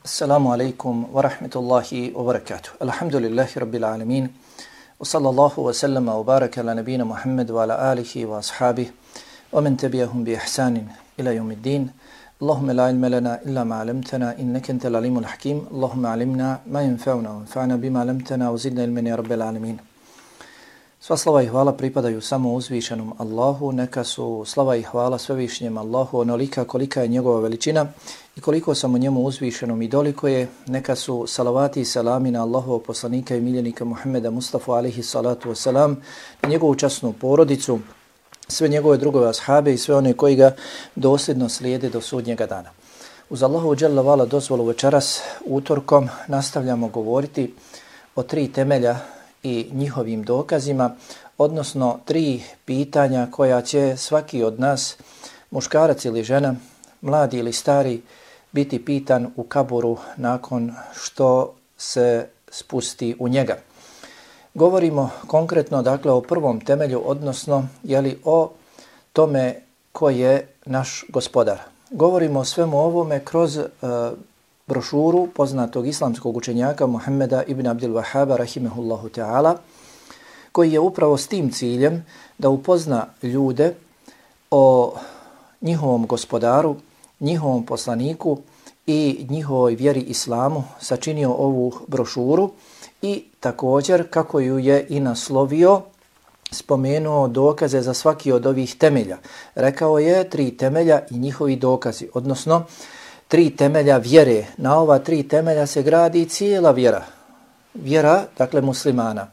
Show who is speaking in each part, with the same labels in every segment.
Speaker 1: Assalamu alaikum wa rahmatullahi wa barakatuh. Alhamdulillahi rabbil alamin. Wa sallallahu wa sallama wa baraka ala nabina Muhammad wa ala alihi wa ashabih wa man tabi'ahum bi ihsanin ila yawmiddin. Allahumma la ilma lana illa ma 'allamtana innaka antal alimul hakim. Allahumma 'allimna ma yanfa'una wa anfa'na bima 'allamtana wa zidna ilman ya rabbil alamin. Sva slava i hvala pripadaju samo uzvišenom Allahu, neka su slava i hvala svevišnjem Allahu onolika kolika je njegova veličina i koliko samo njemu uzvišenom i doliko je, neka su salavati i salami na Allahovog poslanika i miljenika Muhammeda Mustafa alaihi salatu wasalam, na njegovu časnu porodicu, sve njegove drugove ashabe i sve one koji ga dosljedno slijede do sudnjega dana. Uz Allahu dželle vala dozvolu večeras utorkom nastavljamo govoriti o 3 temelja i njihovim dokazima, odnosno 3 pitanja koja će svaki od nas, muškarac ili žena, mladi ili stari, biti pitan u kaburu nakon što se spusti u njega. Govorimo konkretno dakle o prvom temelju, odnosno o tome ko je naš gospodar. Govorimo o svemu ovome kroz brošuru poznatog islamskog učenjaka Muhammeda ibn Abdul Wahhaba rahimehullahu ta'ala, koji je upravo s tim ciljem da upozna ljude o njihovom gospodaru, njihovom poslaniku i njihovoj vjeri islamu sačinio ovu brošuru i također kako ju je i naslovio, spomenuo dokaze za svaki od ovih temelja. Rekao je 3 temelja i njihovi dokazi, odnosno 3 temelja vjere. Na ova 3 temelja se gradi cijela vjera. Vjera, dakle muslimana.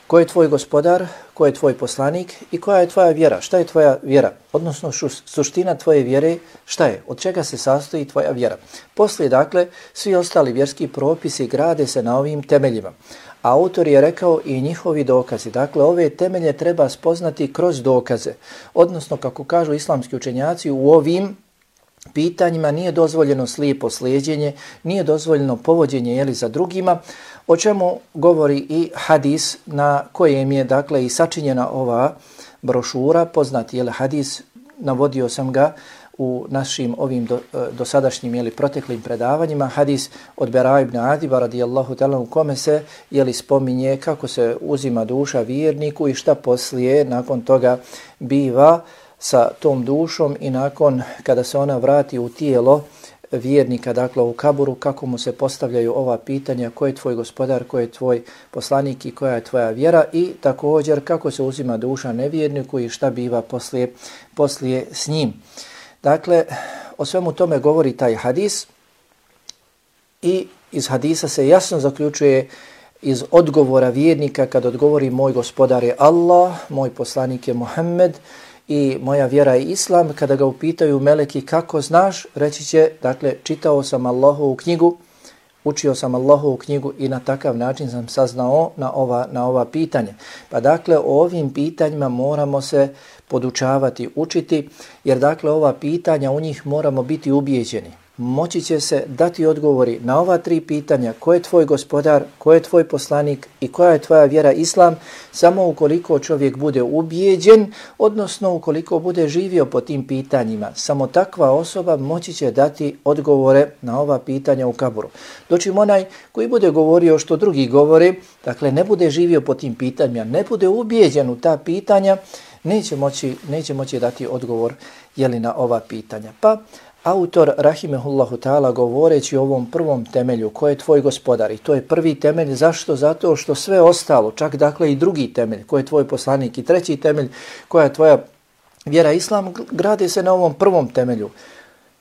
Speaker 1: Ko je tvoj gospodar, ko je tvoj poslanik i koja je tvoja vjera? Šta je tvoja vjera? Odnosno suština tvoje vjere, šta je? Od čega se sastoji tvoja vjera? Poslije, dakle, svi ostali vjerski propisi grade se na ovim temeljima. A autor je rekao i njihovi dokazi. Dakle, ove temelje treba spoznati kroz dokaze. Odnosno, kako kažu islamski učenjaci, u ovim pitanjima nije dozvoljeno slijepo slijeđenje, nije dozvoljeno povođenje za drugima, o čemu govori i hadis na kojem je dakle i sačinjena ova brošura, poznati hadis, navodio sam ga u našim ovim dosadašnjim proteklim predavanjima, hadis od Bera ibn Adiba radijallahu ta'ala, u kome se spominje kako se uzima duša vjerniku i šta poslije nakon toga biva sa tom dušom i nakon kada se ona vrati u tijelo vjernika, dakle u kaburu, kako mu se postavljaju ova pitanja, ko je tvoj gospodar, ko je tvoj poslanik i koja je tvoja vjera, i također kako se uzima duša nevjerniku i šta biva poslije s njim. Dakle, o svemu tome govori taj hadis i iz hadisa se jasno zaključuje iz odgovora vjernika kad odgovori moj gospodar je Allah, moj poslanik je Muhammed i moja vjera je islam. Kada ga upitaju meleki kako znaš, reći će, dakle, čitao sam Allahovu knjigu, učio sam Allahovu knjigu i na takav način sam saznao na ova pitanja. Pa dakle, o ovim pitanjima moramo se podučavati, učiti, jer dakle ova pitanja, u njih moramo biti ubijeđeni. Moći će se dati odgovori na ova 3 pitanja, ko je tvoj gospodar, ko je tvoj poslanik i koja je tvoja vjera islam, samo ukoliko čovjek bude ubijeđen, odnosno ukoliko bude živio po tim pitanjima. Samo takva osoba moći će dati odgovore na ova pitanja u kaburu. Dočim onaj koji bude govorio što drugi govore, dakle ne bude živio po tim pitanjima, ne bude ubijeđen u ta pitanja, neće moći dati odgovor na ova pitanja. Pa autor rahimehullahu ta'ala govoreći o ovom prvom temelju, ko je tvoj gospodar, i to je prvi temelj, zašto? Zato što sve ostalo, čak dakle i drugi temelj, ko je tvoj poslanik, i treći temelj, koja je tvoja vjera islam, grade se na ovom prvom temelju.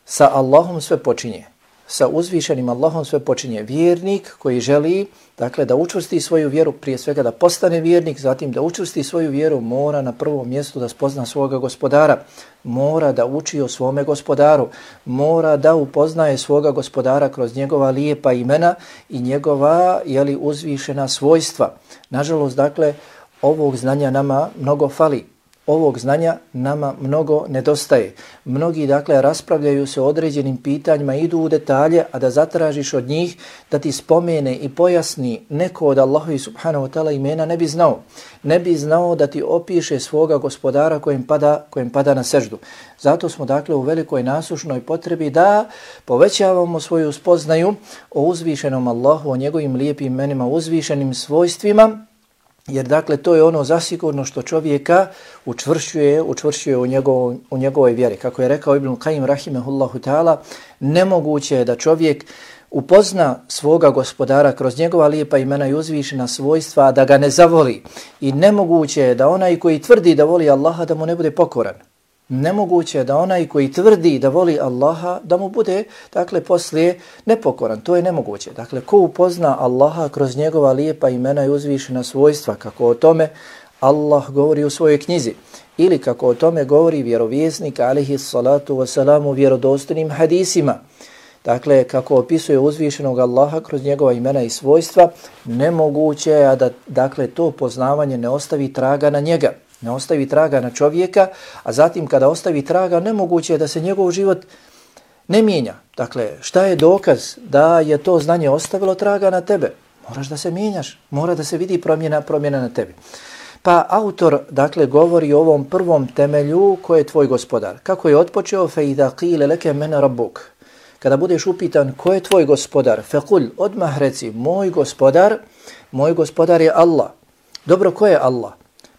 Speaker 1: Sa Allahom sve počinje. Sa uzvišenim Allahom sve počinje. Vjernik koji želi, dakle, da učvrsti svoju vjeru, prije svega da postane vjernik, zatim da učvrsti svoju vjeru, mora na prvom mjestu da spozna svoga gospodara, mora da uči o svome gospodaru, mora da upoznaje svoga gospodara kroz njegova lijepa imena i njegova uzvišena svojstva. Nažalost, dakle, ovog znanja nama mnogo fali. ovog znanja nama mnogo nedostaje. Mnogi dakle raspravljaju se o određenim pitanjima, idu u detalje, a da zatražiš od njih da ti spomene i pojasni neko od Allahovi subhanahu wa ta'ala imena ne bi znao. Ne bi znao da ti opiše svoga gospodara kojem pada na seždu. Zato smo dakle u velikoj nasušnoj potrebi da povećavamo svoju spoznaju o uzvišenom Allahu, o njegovim lijepim imenima, uzvišenim svojstvima, jer dakle to je ono zasigurno što čovjeka učvršćuje u njegovoj vjeri. Kako je rekao Ibn Qayyim rahimehullahu ta'ala, nemoguće je da čovjek upozna svoga gospodara kroz njegova lijepa imena i uzvišena svojstva, a da ga ne zavoli. I nemoguće je da onaj koji tvrdi da voli Allaha da mu ne bude pokoran. Nemoguće je da onaj koji tvrdi da voli Allaha da mu bude, dakle, poslije nepokoran. To je nemoguće. Dakle, ko upozna Allaha kroz njegova lijepa imena i uzvišena svojstva, kako o tome Allah govori u svojoj knjizi, ili kako o tome govori vjerovjesnik alejhi salatu wasalam u vjerodostojnim hadisima, dakle, kako opisuje uzvišenog Allaha kroz njegova imena i svojstva, nemoguće je da, dakle, to poznavanje ne ostavi traga na njega. Ne ostavi traga na čovjeka, a zatim kada ostavi traga, nemoguće je da se njegov život ne mijenja. Dakle, šta je dokaz da je to znanje ostavilo traga na tebe? Moraš da se mijenjaš, mora da se vidi promjena na tebi. Pa autor, dakle, govori o ovom prvom temelju ko je tvoj gospodar. Kako je otpočeo? فَإِذَا قِيلَ لَكَ مَنَ رَبُّكَ. Kada budeš upitan ko je tvoj gospodar, فَقُلْ, odmah reci, moj gospodar je Allah. Dobro, ko je Allah?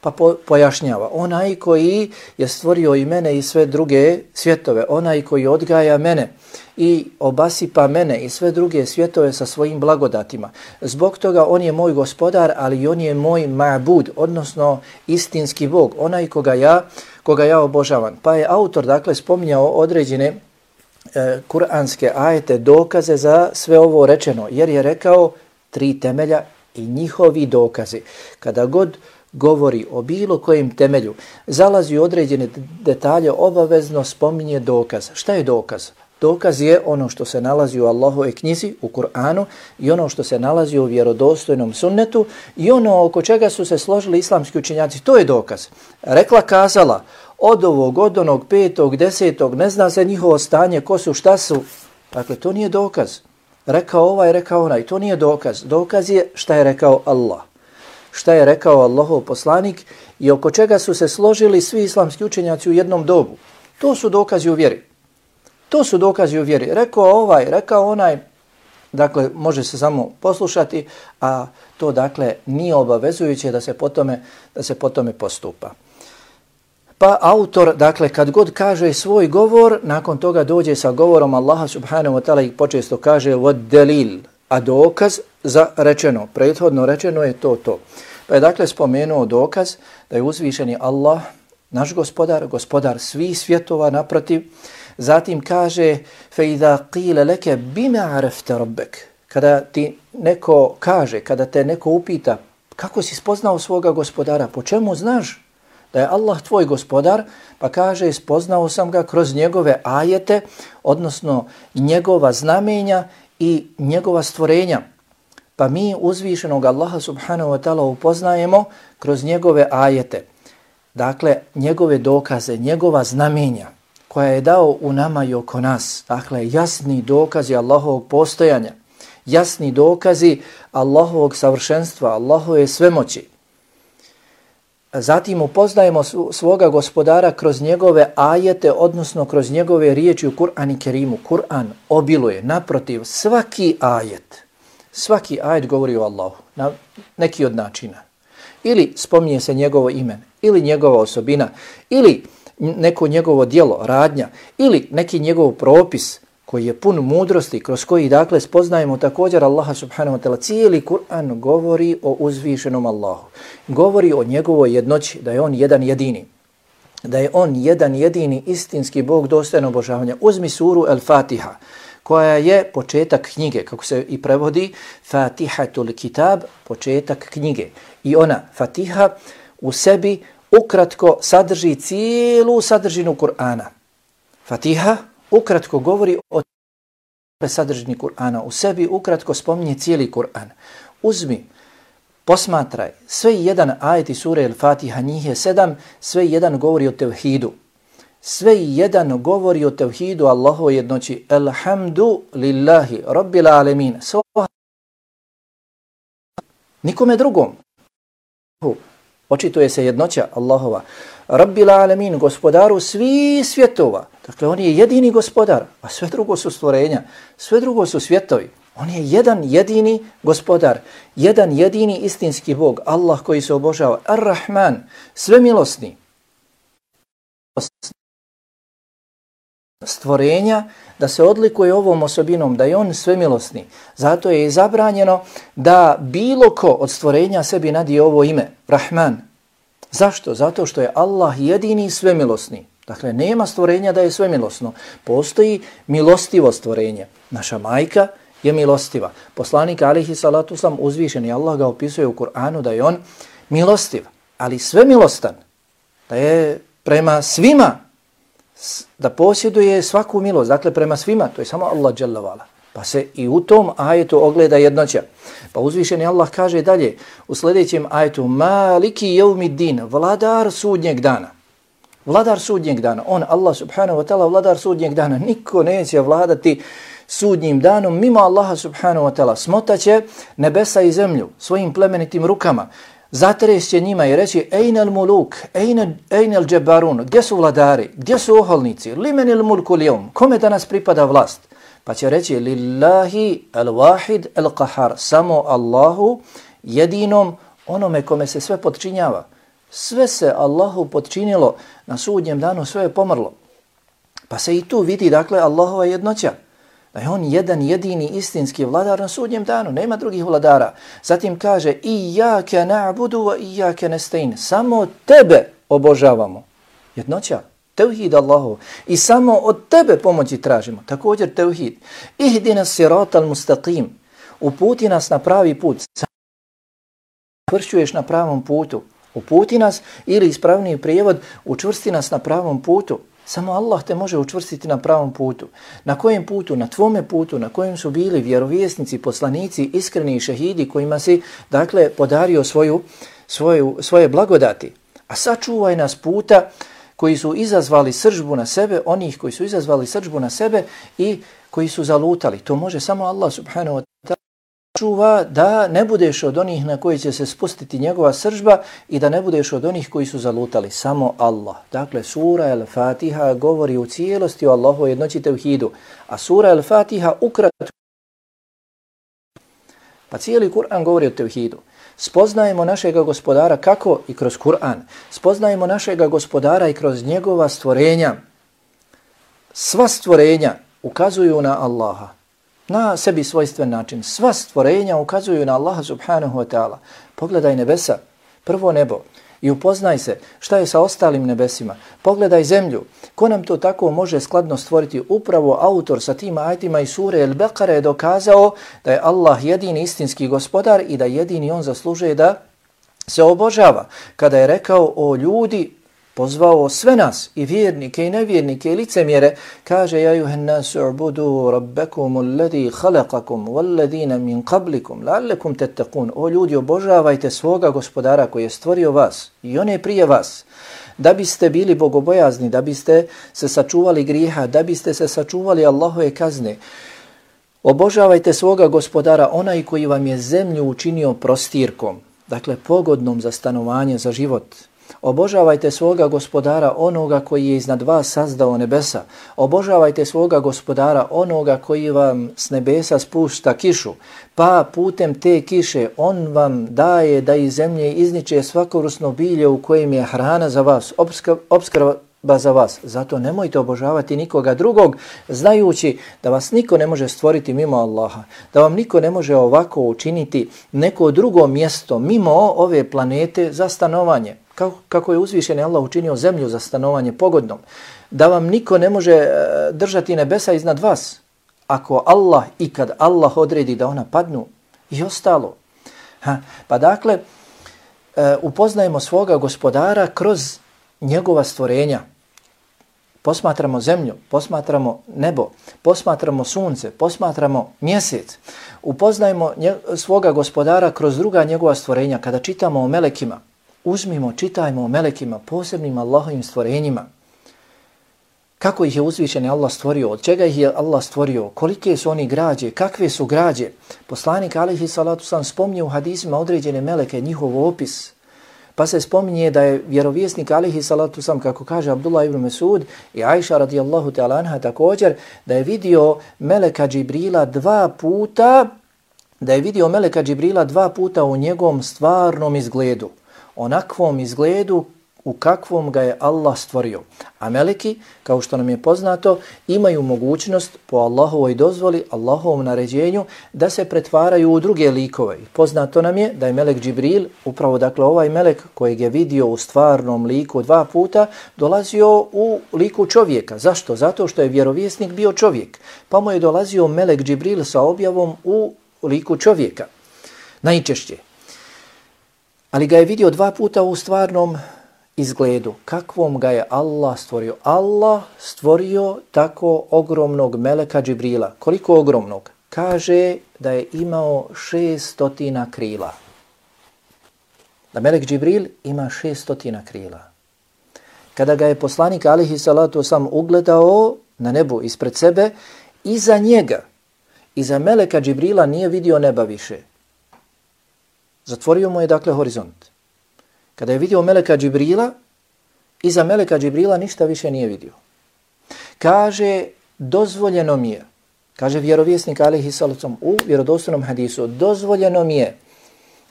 Speaker 1: Pa pojašnjava, onaj koji je stvorio i mene i sve druge svjetove, onaj koji odgaja mene i obasipa mene i sve druge svjetove sa svojim blagodatima. Zbog toga on je moj gospodar, ali on je moj ma'bud, odnosno istinski Bog, onaj koga ja obožavam. Pa je autor, dakle, spominjao određene kuranske ajete, dokaze za sve ovo rečeno, jer je rekao 3 temelja i njihovi dokazi. Kada god govori o bilo kojem temelju, zalazi u određene detalje, obavezno spominje dokaz. Šta je dokaz? Dokaz je ono što se nalazi u Allahove knjizi, u Kur'anu, i ono što se nalazi u vjerodostojnom sunnetu i ono oko čega su se složili islamski učenjaci. To je dokaz. Rekla, kazala, od ovog, od onog, 5., 10., ne zna se njihovo stanje, ko su, šta su. Dakle, to nije dokaz. Rekao ovaj, rekao onaj, to nije dokaz. Dokaz je šta je rekao Allah. Šta je rekao Allahov poslanik i oko čega su se složili svi islamski učenjaci u jednom dobu. To su dokazi u vjeri. To su dokazi u vjeri. Rekao ovaj, rekao onaj, dakle, može se samo poslušati, a to, dakle, nije obavezujuće da se po tome postupa. Pa autor, dakle, kad god kaže svoj govor, nakon toga dođe sa govorom Allaha subhanahu wa ta'ala i počesto kaže vod delil, a dokaz za rečeno, prethodno rečeno je to. Pa je dakle spomenuo dokaz da je uzvišeni Allah, naš gospodar svih svjetova naprotiv. Zatim kaže فَإِذَا قِيلَ لَكَ بِمَا عَرَفْتَ رَبَّكَ. Kada ti neko kaže, kada te neko upita kako si spoznao svoga gospodara, po čemu znaš da je Allah tvoj gospodar, pa kaže spoznao sam ga kroz njegove ajete, odnosno njegova znamenja i njegova stvorenja. Pa mi uzvišenog Allaha subhanahu wa ta'ala upoznajemo kroz njegove ajete. Dakle, njegove dokaze, njegova znamenja koja je dao u nama i oko nas. Dakle, jasni dokazi Allahovog postojanja, jasni dokazi Allahovog savršenstva, Allahove svemoći. Zatim upoznajemo svoga gospodara kroz njegove ajete, odnosno kroz njegove riječi u Kur'an i Kerimu. Kur'an obiluje, naprotiv, svaki ajet govori o Allahu na neki od načina. Ili spominje se njegovo ime, ili njegova osobina, ili neko njegovo djelo, radnja, ili neki njegov propis koji je pun mudrosti, kroz koji, dakle, spoznajemo također Allaha subhanahu wa ta'ala. Cijeli Kur'an govori o uzvišenom Allahu. Govori o njegovoj jednoći, da je on jedan jedini. Da je on jedan jedini istinski Bog dostojan obožavanja. Uzmi suru Al-Fatiha, koja je početak knjige, kako se i prevodi, Fatihatul Kitab, početak knjige. I ona, Fatiha, u sebi ukratko sadrži cijelu sadržinu Kur'ana. Fatiha ukratko govori o sadržini Kur'ana. U sebi ukratko spominje cijeli Kur'an. Uzmi Posmatraj, sve jedan ajeti sure El-Fatiha, njih je 7, sve jedan govori o tevhidu. Sve jedan govori o tevhidu Allahovoj jednoći. Elhamdu lillahi rabbil alemin. Nikome drugom. Očituje se jednoća Allahova. Rabbil alemin, gospodaru svih svjetova. Dakle, on je jedini gospodar, a sve drugo su stvorenja. Sve drugo su svjetovi. On je jedan jedini gospodar, jedan jedini istinski Bog, Allah koji se obožava, Ar-Rahman, svemilosni. Stvorenja da se odlikuje ovom osobinom, da je on svemilosni. Zato je zabranjeno da bilo ko od stvorenja sebi nadije ovo ime, Rahman. Zašto? Zato što je Allah jedini svemilosni. Dakle, nema stvorenja da je svemilosno. Postoji milostivo stvorenje. Naša majka je milostiva. Poslanik alejhi salatu vesselam uzvišeni Allah ga opisuje u Kur'anu da je on milostiv, ali svemilostan, da je prema svima, da posjeduje svaku milost, dakle prema svima, to je samo Allah dželle vala. Pa se i u tom ajetu ogleda jednoća. Pa uzvišeni Allah kaže dalje u sljedećem ajetu: Maliki yevmiddin, vladar sudnjeg dana. Vladar sudnjeg dana. On, Allah subhanahu wa ta'ala, vladar sudnjeg dana. Niko neće vladati sudnjim danom mimo Allaha subhanahu wa ta'ala. Smotaće nebesa i zemlju svojim plemenitim rukama. Zatrešće njima i reći: Ejnel muluk, ejnel džebarun. Gdje su vladari? Gdje su oholnici? Limenil mulku lijom. Kome danas pripada vlast? Pa će reći: Lillahi al-wahid al-qahar. Samo Allahu, jedinom, onome kome se sve podčinjava. Sve se Allahu podčinilo na sudnjem danu, sve je pomrlo. Pa se i tu vidi, dakle, Allahova jednoća. Da je on jedan jedini istinski vladar na sudnjem danu, nema drugih vladara. Zatim kaže: Iyake na'budu wa iyake nestaîn. Samo tebe obožavamo. Jednoća, tevhid Allahu. I samo od tebe pomoći tražimo. Također tevhid. Ihdina siratal mustaqim. Uputi nas na pravi put. Čvršćuješ na pravom putu. Uputi nas, ili ispravniji prijevod, učvrsti nas na pravom putu. Samo Allah te može učvrstiti na pravom putu. Na kojem putu? Na tvome putu, na kojem su bili vjerovjesnici, poslanici, iskreni šehidi kojima si, dakle, podario svoje blagodati. A sačuvaj nas puta koji su izazvali srdžbu na sebe, onih koji su izazvali srdžbu na sebe i koji su zalutali. To može samo Allah subhanahu wa ta'ala. Čuva da ne budeš od onih na koji će se spustiti njegova srdžba i da ne budeš od onih koji su zalutali. Samo Allah. Dakle, sura El-Fatiha govori u cijelosti o Allahu jednoći tevhidu. A sura El-Fatiha ukratko. Pa cijeli Kur'an govori o tevhidu. Spoznajemo našega gospodara kako? I kroz Kur'an. Spoznajemo našega gospodara i kroz njegova stvorenja. Sva stvorenja ukazuju na Allaha. Na sebi svojstven način. Sva stvorenja ukazuju na Allaha subhanahu wa ta'ala. Pogledaj nebesa, prvo nebo, i upoznaj se šta je sa ostalim nebesima. Pogledaj zemlju. Ko nam to tako može skladno stvoriti? Upravo autor sa tim ajetima i sure El-Beqara je dokazao da je Allah jedini istinski gospodar i da jedini on zaslužuje da se obožava. Kada je rekao: o ljudi, pozvao sve nas, i vjernike i nevjernike i licemjere, kaže: ja juhen nasu ubudu rabbekum alladhi khalaqakum walladhina min qablikum la'allakum tattaqun. O ljudi, obožavajte svoga gospodara koji je stvorio vas i one prije vas, da biste bili bogobojazni, da biste se sačuvali grijeha, da biste se sačuvali Allahove kazne. Obožavajte svoga gospodara, onaj koji vam je zemlju učinio prostirkom, dakle pogodnom za stanovanje, za život. Obožavajte svoga gospodara, onoga koji je iznad vas sazdao nebesa. Obožavajte svoga gospodara, onoga koji vam s nebesa spušta kišu, pa putem te kiše on vam daje da iz zemlje izniče svakorusno bilje u kojem je hrana za vas, opskrba za vas. Zato nemojte obožavati nikoga drugog, znajući da vas niko ne može stvoriti mimo Allaha, da vam niko ne može ovako učiniti neko drugo mjesto mimo ove planete za stanovanje. Kako je uzvišeni Allah učinio zemlju za stanovanje pogodnom, da vam niko ne može držati nebesa iznad vas, ako Allah i kad Allah odredi da ona padnu i ostalo. Pa dakle, upoznajemo svoga gospodara kroz njegova stvorenja. posmatramo zemlju, posmatramo nebo, posmatramo sunce, posmatramo mjesec, upoznajemo svoga gospodara kroz druga njegova stvorenja. Kada čitamo o melekima, uzmimo, čitajmo o melekima, posebnim Allahovim stvorenjima. Kako ih je uzvišeni Allah stvorio, od čega ih je Allah stvorio, kolike su oni građe, kakve su građe. Poslanik alejhi salatu vesselam spominje u hadisima određene meleke, njihov opis. Pa se spominje da je vjerovjesnik alejhi salatu vesselam, kako kaže Abdullah ibn Mesud i Ajša radijallahu ta'ala anha također, da je vidio meleka Džibrila dva puta u njegovom stvarnom izgledu. Onakvom izgledu u kakvom ga je Allah stvorio. A meleki, kao što nam je poznato, imaju mogućnost po Allahovoj dozvoli, Allahovom naređenju, da se pretvaraju u druge likove. Poznato nam je da je melek Džibril, upravo dakle ovaj melek kojeg je vidio u stvarnom liku dva puta, dolazio u liku čovjeka. Zašto? Zato što je vjerovjesnik bio čovjek. Pa mu je dolazio melek Džibril sa objavom u liku čovjeka. Najčešće. Ali ga je vidio dva puta u stvarnom izgledu. Kakvom ga je Allah stvorio? Allah stvorio tako ogromnog meleka Džibrila. Koliko ogromnog? Kaže da je imao 600 krila. Da melek Džibril ima 600 krila. Kada ga je poslanik alejhi salatu vesselam ugledao na nebu ispred sebe, iza njega, iza meleka Džibrila nije vidio neba više. Zatvorio mu je dakle horizont. Kada je vidio meleka Džibrila, iza meleka Džibrila ništa više nije vidio. Kaže, dozvoljeno mi je, kaže vjerovjesnik alejhi salatu vesselam u vjerodostojnom hadisu, dozvoljeno mi je,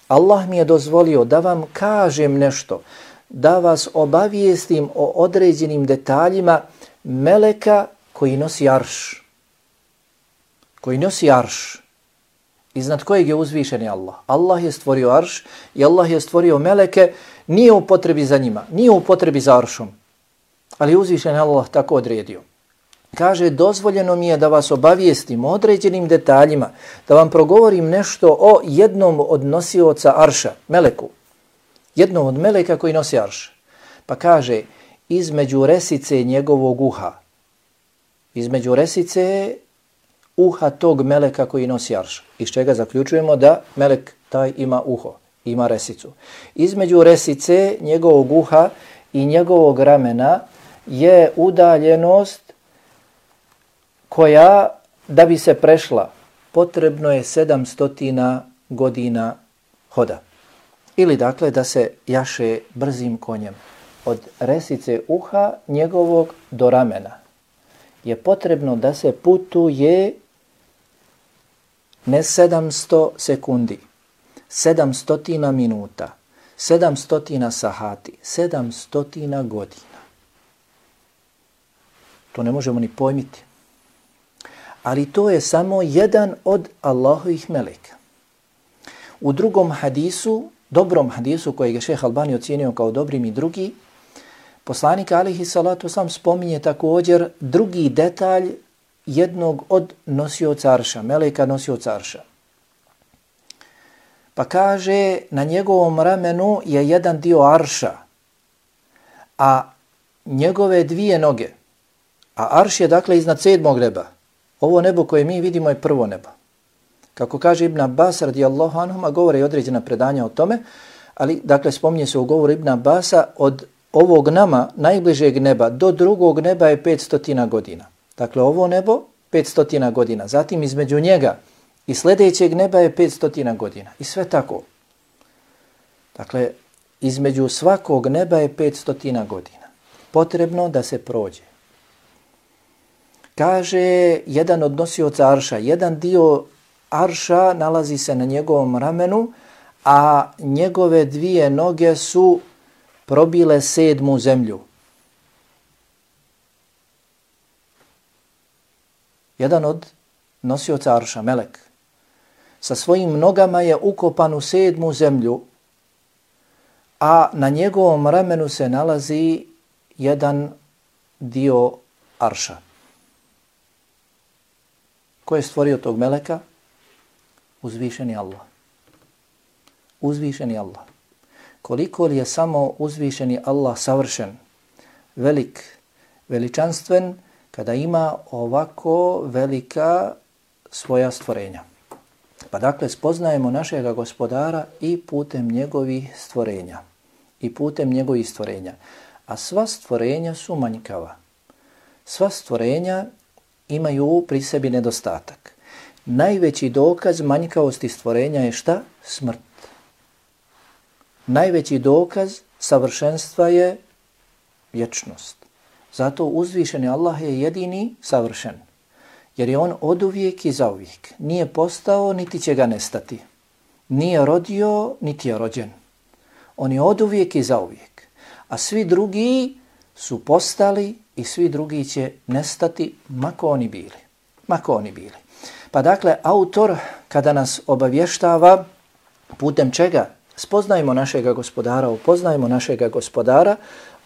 Speaker 1: Allah mi je dozvolio da vam kažem nešto, da vas obavijestim o određenim detaljima meleka koji nosi arš. Koji nosi arš. Iznad kojeg je uzvišeni Allah. Allah je stvorio arš i Allah je stvorio meleke, nije u potrebi za njima, nije u potrebi za aršom. Ali uzvišeni Allah tako odredio. Kaže, dozvoljeno mi je da vas obavijestim o određenim detaljima, da vam progovorim nešto o jednom od nosioca arša, meleku. Jednom od meleka koji nosi arš. Pa kaže, između resice njegovog uha. Između resice uha tog meleka koji nosi arš. Iz čega zaključujemo da melek taj ima uho, ima resicu. Između resice njegovog uha i njegovog ramena je udaljenost koja, da bi se prešla, potrebno je 700 godina hoda. Ili dakle da se jaše brzim konjem. Od resice uha njegovog do ramena je potrebno da se putuje ne 700 sekundi, 700 minuta, 700 sahati, 700 godina. To ne možemo ni pojmiti. Ali to je samo jedan od Allahovih meleka. U drugom hadisu, dobrom hadisu kojeg je šejh Albani ocijenio kao dobrim i drugi, poslanik alejhi salatu vesselam spominje također drugi detalj jednog od nosioca arša, meleka nosioca arša. Pa kaže, na njegovom ramenu je jedan dio arša, a njegove dvije noge, a arš je dakle iznad 7. neba. Ovo nebo koje mi vidimo je prvo nebo. Kako kaže Ibn Abbas radijallahu anhuma, govore i određena predanja o tome, ali dakle spominje se u govoru Ibn Abbasa, od ovog nama najbližeg neba do drugog neba je 500 godina. Dakle, ovo nebo 500 godina. Zatim između njega i sljedećeg neba je 500 godina. I sve tako. Dakle, između svakog neba je 500 godina. Potrebno da se prođe. Kaže jedan od nosioca arša, jedan dio arša nalazi se na njegovom ramenu, a njegove dvije noge su probile 7. zemlju. Jedan od nosioca arša, melek, sa svojim nogama je ukopan u 7. zemlju, a na njegovom ramenu se nalazi jedan dio arša. Ko je stvorio tog meleka? Uzvišeni Allah. Uzvišeni Allah. Koliko li je samo uzvišeni Allah savršen, velik, veličanstven kada ima ovako velika svoja stvorenja. Pa dakle, spoznajemo našega Gospodara i putem njegovih stvorenja. I putem njegovih stvorenja. A sva stvorenja su manjkava. Sva stvorenja imaju pri sebi nedostatak. Najveći dokaz manjkavosti stvorenja je šta? Smrt. Najveći dokaz savršenstva je vječnost. Zato uzvišeni Allah je jedini savršen. Jer je on oduvijek i zauvijek. Nije postao, niti će ga nestati. Nije rodio, niti je rođen. On je oduvijek i zauvijek. A svi drugi su postali i svi drugi će nestati, mako oni bili. Mako oni bili. Pa dakle, autor kada nas obavještava putem čega spoznajmo našega Gospodara, upoznajmo našega Gospodara,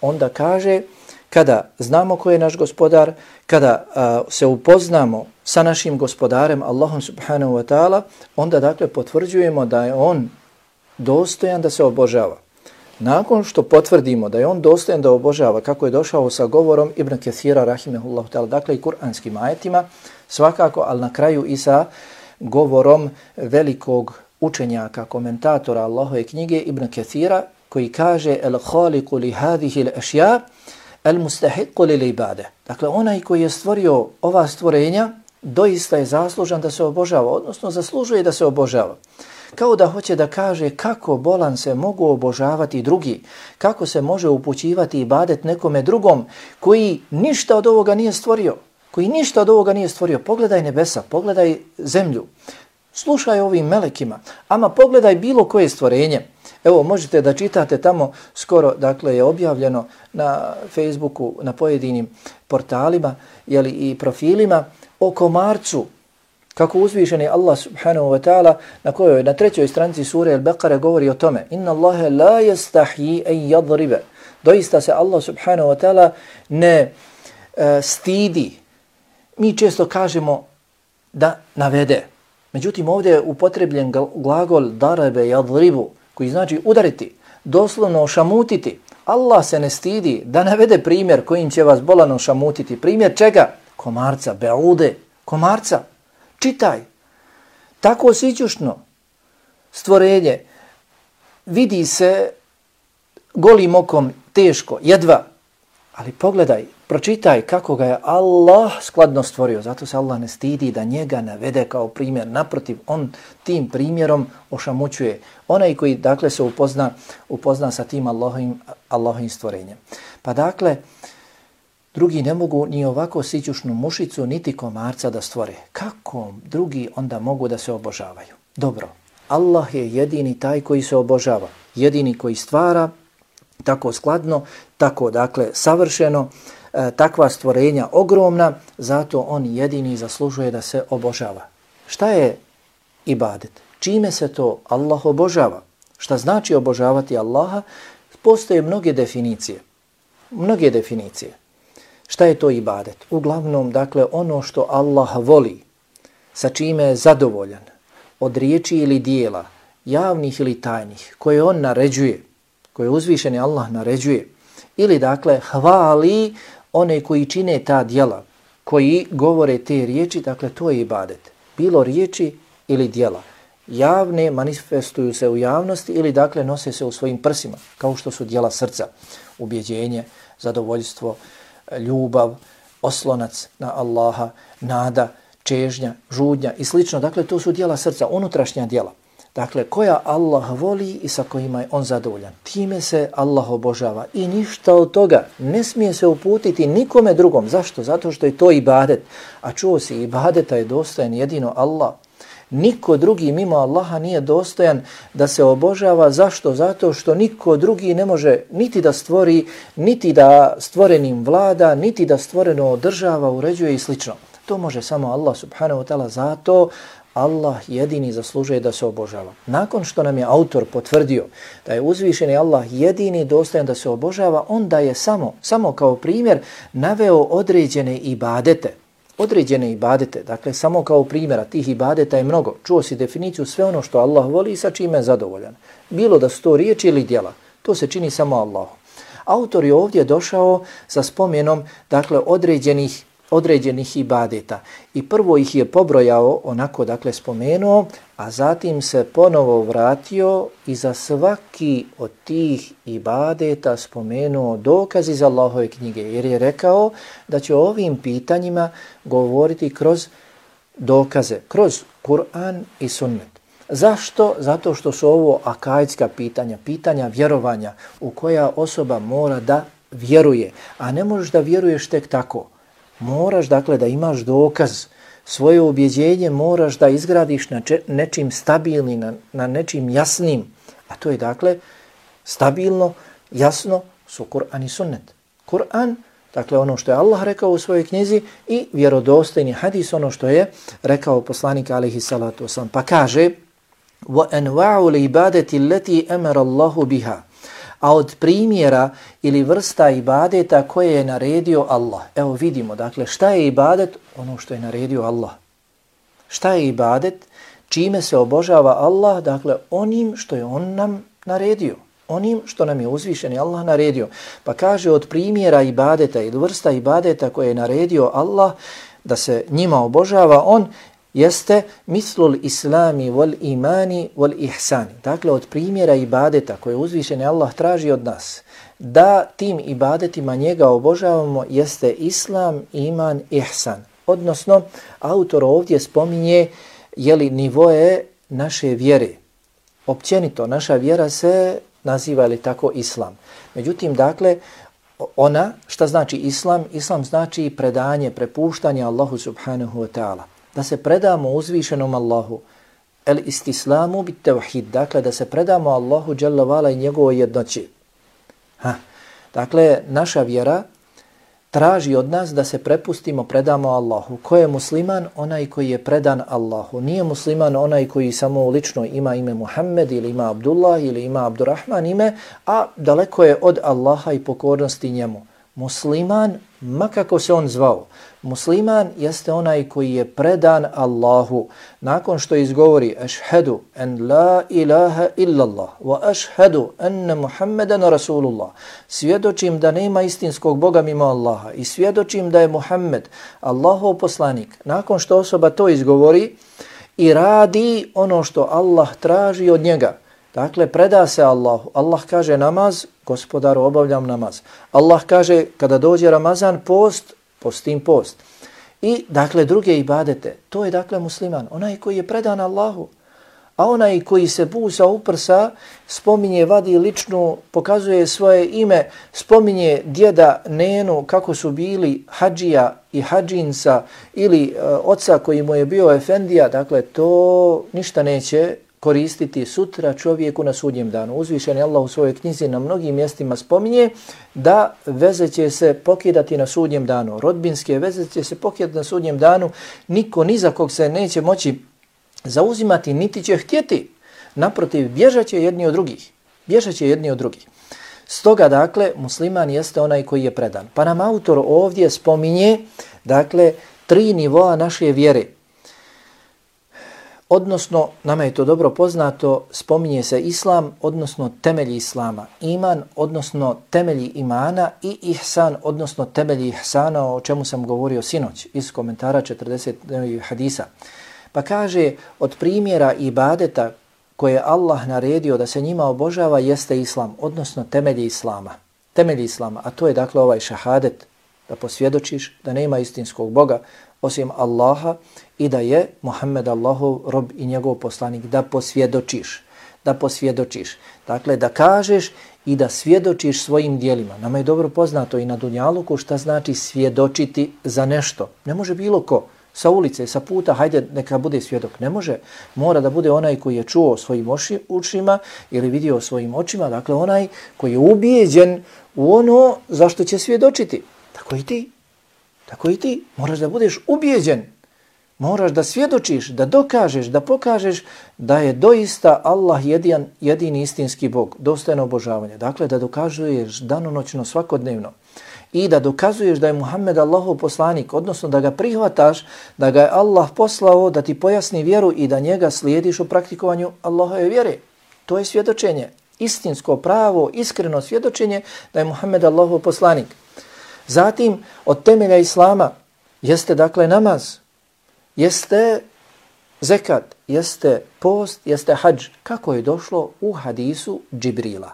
Speaker 1: onda kaže kada znamo ko je naš Gospodar, kada se upoznamo sa našim Gospodarem, Allahom subhanahu wa ta'ala, onda dakle potvrđujemo da je on dostojan da se obožava. Nakon što potvrdimo da je on dostojan da obožava, kako je došao sa govorom Ibn Kathira rahimehullahu ta'ala, dakle i kuranskim ajetima, svakako, ali na kraju i sa govorom velikog učenjaka, komentatora Allahove knjige Ibn Kathira, koji kaže el-khaliqu li hadihi l-ašja el-mustahiqu li l-ibade. Dakle, onaj koji je stvorio ova stvorenja, doista je zaslužan da se obožava, odnosno zaslužuje da se obožava. Kao da hoće da kaže kako bolan se mogu obožavati drugi, kako se može upućivati ibadet nekome drugom koji ništa od ovoga nije stvorio, Pogledaj nebesa, pogledaj zemlju, slušaj ovim melekima, ama pogledaj bilo koje stvorenje. Evo, možete da čitate tamo, skoro, dakle, je objavljeno na Facebooku, na pojedinim portalima, jeli, i profilima o komarcu, kako uzvišeni Allah subhanahu wa ta'ala na kojoj na 3. stranici sure Al-Baqara govori o tome. Inna Allahe la yastahyi an yadriba. Doista se Allah subhanahu wa ta'ala ne stidi. Mi često kažemo da navede. Međutim, ovdje je upotrebljen glagol darabe yadribu, koji znači udariti, doslovno ošamutiti. Allah se ne stidi da navede primjer kojim će vas bolano ošamutiti. Primjer čega? Komarca, beude, komarca. Čitaj. Tako sićušno stvorenje vidi se golim okom teško, jedva. Ali pogledaj, pročitaj kako ga je Allah skladno stvorio. Zato se Allah ne stidi da njega navede kao primjer. Naprotiv, on tim primjerom ošamućuje. Onaj koji dakle se upozna sa tim Allahovim stvorenjem. Pa dakle, drugi ne mogu ni ovako sićušnu mušicu niti komarca da stvore. Kako drugi onda mogu da se obožavaju? Dobro, Allah je jedini taj koji se obožava. Jedini koji stvara tako skladno, tako dakle savršeno, takva stvorenja ogromna, zato on jedini zaslužuje da se obožava. Šta je ibadet? Čime se to Allah obožava? Šta znači obožavati Allaha? Postoje mnoge definicije. Šta je to ibadet? Uglavnom, dakle, ono što Allah voli, sa čime je zadovoljan, od riječi ili dijela, javnih ili tajnih, koje on naređuje, koje uzvišeni Allah naređuje, ili dakle hvali one koji čine ta djela, koji govore te riječi, dakle to je ibadet. Bilo riječi ili djela. Javne manifestuju se u javnosti ili dakle nose se u svojim prsima, kao što su djela srca, ubjeđenje, zadovoljstvo, ljubav, oslonac na Allaha, nada, čežnja, žudnja i slično. Dakle, to su djela srca, unutrašnja djela. Dakle, koja Allah voli i sa kojima je on zadovoljan. Time se Allah obožava i ništa od toga ne smije se uputiti nikome drugom. Zašto? Zato što je to ibadet. A čuo si, ibadeta je dostojan jedino Allah. Niko drugi mimo Allaha nije dostojan da se obožava. Zašto? Zato što niko drugi ne može niti da stvori, niti da stvorenim vlada, niti da stvoreno održava, uređuje i slično. To može samo Allah subhanahu wa ta'ala. Zato Allah jedini zaslužuje da se obožava. Nakon što nam je autor potvrdio da je uzvišeni Allah jedini dostojan da se obožava, onda je samo kao primjer naveo određene ibadete. Dakle, samo kao primjera tih ibadeta je mnogo. Čuo si definiciju sve ono što Allah voli i sa čime je zadovoljan. Bilo da su to riječi ili djela. To se čini samo Allahu. Autor je ovdje došao sa spomenom, dakle, određenih ibadeta. I prvo ih je pobrojao, onako, dakle, spomenuo, a zatim se ponovo vratio i za svaki od tih ibadeta spomenuo dokaz iz Allahove knjige, jer je rekao da će o ovim pitanjima govoriti kroz dokaze, kroz Kur'an i sunnet. Zašto? Zato što su ovo akaidska pitanja, pitanja vjerovanja u koja osoba mora da vjeruje, a ne možeš da vjeruješ tek tako. Moraš, dakle, da imaš dokaz, svoje ubjeđenje moraš da izgradiš na nečim stabilnim, na nečim jasnim, a to je, dakle, stabilno, jasno su Kur'an i sunnet. Kur'an, dakle, ono što je Allah rekao u svojoj knjizi, i vjerodostojni hadis, ono što je rekao poslanik alejhi salatu vesselam. Pa kaže: وَأَنْوَعُ الْعِبَادَةِ الَّتِي أَمَرَ اللَّهُ بِهَا. A od primjera ili vrsta ibadeta koje je naredio Allah. Evo vidimo, dakle, šta je ibadet? Ono što je naredio Allah. Šta je ibadet? Čime se obožava Allah? Dakle, onim što je on nam naredio. Onim što nam je uzvišeni Allah naredio. Pa kaže, od primjera ibadeta ili vrsta ibadeta koje je naredio Allah da se njima obožava on, jeste mislul islami wal imani wal ihsani. Dakle, od primjera ibadeta koje uzvišeni Allah traži od nas da tim ibadetima njega obožavamo jeste islam, iman, ihsan. Odnosno, autor ovdje spominje nivoe naše vjere. Općenito, naša vjera se naziva li tako islam. Međutim, dakle, ona, šta znači islam? Islam znači predanje, prepuštanje Allahu subhanahu wa ta'ala. Da se predamo uzvišenom Allahu, el istislamu bit tevhid, dakle da se predamo Allahu dželle vala i njegovoj jednoći. Dakle, naša vjera traži od nas da se prepustimo, predamo Allahu. Ko je musliman? Onaj koji je predan Allahu. Nije musliman onaj koji samo lično ima ime Muhammed ili ima Abdullah ili ima Abdurrahman ime, a daleko je od Allaha i pokornosti njemu. Musliman, makako se on zvao, musliman jeste onaj koji je predan Allahu. Nakon što izgovori ašhedu en la ilaha illallah wa ašhedu enne Muhammeden rasulullah, svjedočim da nema istinskog Boga mimo Allaha i svjedočim da je Muhammed Allahov poslanik. Nakon što osoba to izgovori i radi ono što Allah traži od njega, dakle, preda se Allahu. Allah kaže namaz, gospodaru, obavljam namaz. Allah kaže kada dođe Ramazan, post, postim post. I, dakle, druge ibadete. To je, dakle, musliman. Onaj koji je predan Allahu. A onaj koji se busa uprsa, spominje, vadi ličnu, pokazuje svoje ime, spominje djeda, nenu, kako su bili hadžija i hadžinca ili oca koji mu je bio efendija, dakle, to ništa neće koristiti sutra čovjeku na sudnjem danu. Uzvišeni Allah u svojoj knjizi na mnogim mjestima spominje da veze će se pokidati na sudnjem danu. Rodbinske veze će se pokidati na sudnjem danu. Niko ni za kog se neće moći zauzimati, niti će htjeti. Naprotiv, bježat će jedni od drugih. Bježat će jedni od drugih. Stoga, dakle, musliman jeste onaj koji je predan. Pa nam autor ovdje spominje, dakle, 3 nivoa naše vjere. Odnosno, nama je to dobro poznato, spominje se islam, odnosno temelji islama, iman, odnosno temelji imana i ihsan, odnosno temelji ihsana, o čemu sam govorio sinoć iz komentara 40 hadisa. Pa kaže, od primjera ibadeta koje Allah naredio da se njima obožava jeste islam, odnosno temelji islama. Temelji islama, a to je, dakle, ovaj šahadet, da posvjedočiš da nema istinskog Boga osim Allaha i da je Muhammed Allahov rob i njegov poslanik, da posvjedočiš. Da posvjedočiš. Dakle, da kažeš i da svjedočiš svojim dijelima. Nama je dobro poznato i na dunjaluku šta znači svjedočiti za nešto. Ne može bilo ko sa ulice, sa puta, hajde neka bude svjedok. Ne može. Mora da bude onaj koji je čuo svojim ušima ili vidio svojim očima. Dakle, onaj koji je ubijeđen u ono zašto će svjedočiti. Tako i ti. Tako i ti. Moraš da budeš ubijeđen. Moraš da svjedočiš, da dokažeš, da pokažeš da je doista Allah jedini istinski Bog, dostojno obožavanje. Dakle, da dokazuješ danonoćno svakodnevno i da dokazuješ da je Muhammed Allahov poslanik, odnosno da ga prihvataš, da ga je Allah poslao da ti pojasni vjeru i da njega slijediš u praktikovanju Allahove vjere. To je svjedočenje. Istinsko, pravo, iskreno svjedočenje da je Muhammed Allahov poslanik. Zatim, od temelja Islama jeste dakle namaz, jeste zekat, jeste post, jeste hadž. Kako je došlo u hadisu Džibrila?